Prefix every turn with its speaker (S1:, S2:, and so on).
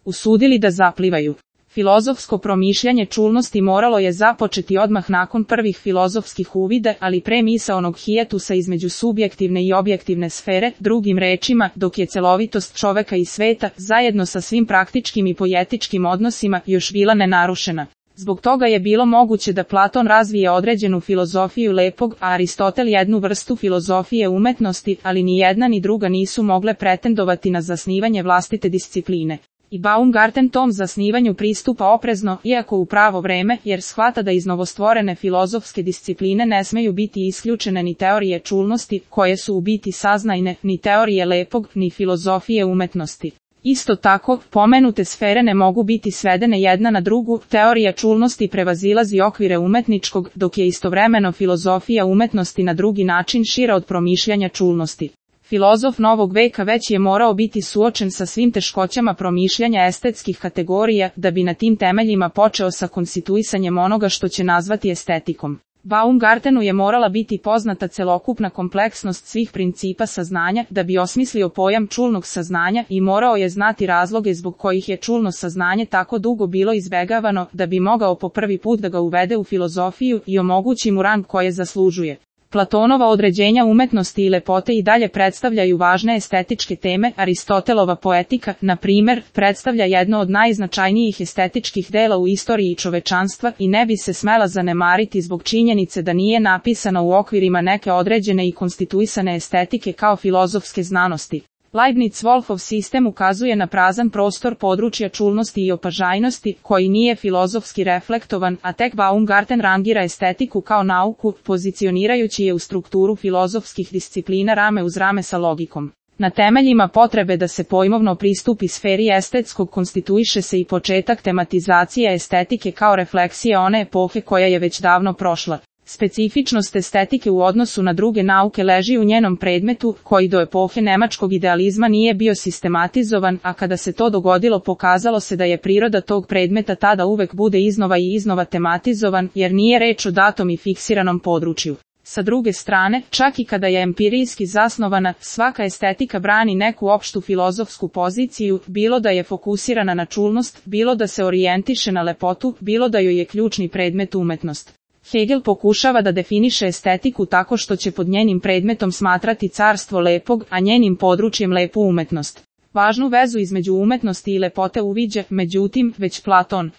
S1: usudili da zaplivaju. Filozofsko promišljanje čulnosti moralo je započeti odmah nakon prvih filozofskih uvida, ali pre misaonog hijetusa između subjektivne i objektivne sfere, drugim rečima, dok je celovitost čoveka i sveta, zajedno sa svim praktičkim i poetičkim odnosima, još bila nenarušena. Zbog toga je bilo moguće da Platon razvije određenu filozofiju lepog, a Aristotel jednu vrstu filozofije umetnosti, ali ni jedna ni druga nisu mogle pretendovati na zasnivanje vlastite discipline. I Baumgarten tom zasnivanju pristupa oprezno, iako u pravo vreme, jer shvata da iz novostvorene filozofske discipline ne smeju biti isključene ni teorije čulnosti, koje su u biti saznajne, ni teorije lepog, ni filozofije umetnosti. Isto tako, pomenute sfere ne mogu biti svedene jedna na drugu, teorija čulnosti prevazilazi okvire umetničkog, dok je istovremeno filozofija umetnosti na drugi način šira od promišljanja čulnosti. Filozof novog veka već je morao biti suočen sa svim teškoćama promišljanja estetskih kategorija, da bi na tim temeljima počeo sa konstituisanjem onoga što će nazvati estetikom. Baumgartenu je morala biti poznata celokupna kompleksnost svih principa saznanja, da bi osmislio pojam čulnog saznanja, i morao je znati razloge zbog kojih je čulno saznanje tako dugo bilo izbegavano, da bi mogao po prvi put da ga uvede u filozofiju i omogući mu rang koje zaslužuje. Platonova određenja umetnosti i lepote i dalje predstavljaju važne estetičke teme. Aristotelova poetika, na primer, predstavlja jedno od najznačajnijih estetičkih dela u istoriji čovečanstva i ne bi se smela zanemariti zbog činjenice da nije napisana u okvirima neke određene i konstituisane estetike kao filozofske znanosti. Leibniz-Wolfov sistem ukazuje na prazan prostor područja čulnosti i opažajnosti, koji nije filozofski reflektovan, a tek Baumgarten rangira estetiku kao nauku, pozicionirajući je u strukturu filozofskih disciplina rame uz rame sa logikom. Na temeljima potrebe da se pojmovno pristupi sferi estetskog konstituiše se i početak tematizacije estetike kao refleksije one epohe koja je već davno prošla. Specifičnost estetike u odnosu na druge nauke leži u njenom predmetu, koji do epohe nemačkog idealizma nije bio sistematizovan, a kada se to dogodilo pokazalo se da je priroda tog predmeta tada uvek bude iznova i iznova tematizovan, jer nije reč o datom i fiksiranom području. Sa druge strane, čak i kada je empirijski zasnovana, svaka estetika brani neku opštu filozofsku poziciju, bilo da je fokusirana na čulnost, bilo da se orijentiše na lepotu, bilo da joj je ključni predmet umetnost. Hegel pokušava da definiše estetiku tako što će pod njenim predmetom smatrati carstvo lepog, a njenim područjem lepu umetnost. Važnu vezu između umetnosti i lepote uviđa, međutim, već Platon.